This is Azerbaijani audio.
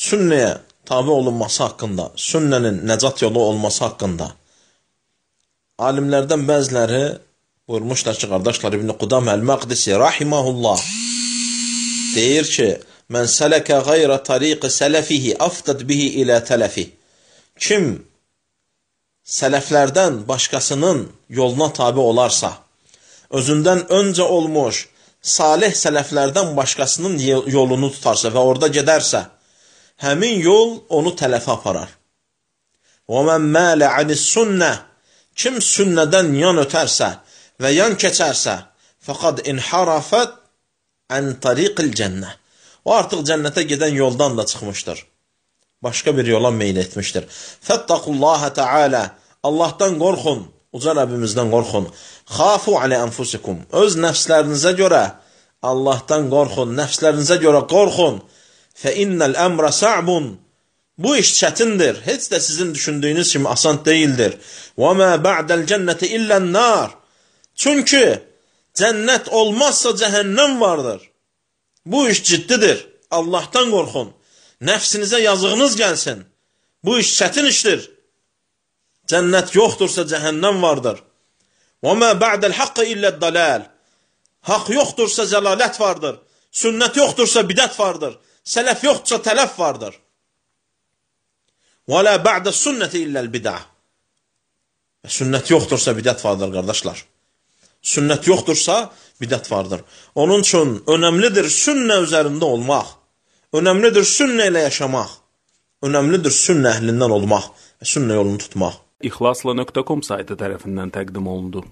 sünnəyə tabi olunması haqqında, sünnənin nəcat yolu olması haqqında alimlərdən bəziləri buyurmuşlar ki, qardaşlar, İbn Qudam Əl-Məqdisi rahiməhullah deyir ki, mən sələkə qayrə tariqi sələfihi afdad bihi ilə tələfi. Kim sələflərdən başqasının yoluna tabi olarsa, özündən öncə olmuş salih sələflərdən başqasının yolunu tutarsa və orada gedərsə, həmin yol onu tələfə aparar. Və mən mələ anis sünnə, kim sünnədən yan ötərsə və yan keçərsə, fəqad inharafət ən tariqil cənnə. O artıq cənnətə gedən yoldan da çıxmışdır. Başqa bir yola meyl etmişdir. Fəttaqullaha təalə, Allahdan qorxun, uca Rəbbimizdən qorxun. Xafu alə ənfusikum, öz nəfslərinizə görə Allahdan qorxun, nəfslərinizə görə qorxun. Fə innəl əmrə sa'bun, bu iş çətindir, heç də sizin düşündüyünüz kimi asan deyildir. Və mə ba'dəl cənnəti illən nar, çünki cənnət olmazsa cəhənnəm vardır. Bu iş ciddidir, Allahdan qorxun, nəfsinizə yazığınız gəlsin. Bu iş çətin işdir. Cənnət yoxdursa cəhənnəm vardır. Və mə ba'dəl haqqı illəd daləl, haqq yoxdursa zəlalət vardır. Sünnət yoxdursa bidət vardır. Sələf yoxdursa tələf vardır. Və lə ba'də sünnəti illəl bidə. Sünnət yoxdursa bidət vardır, qardaşlar. Sünnət yoxdursa bidət vardır. Onun üçün önəmlidir sünnə üzərində olmaq. Önəmlidir sünnə ilə yaşamaq. Önəmlidir sünnə əhlindən olmaq və sünnə yolunu tutmaq. İxlasla.com saytı tərəfindən təqdim olundu.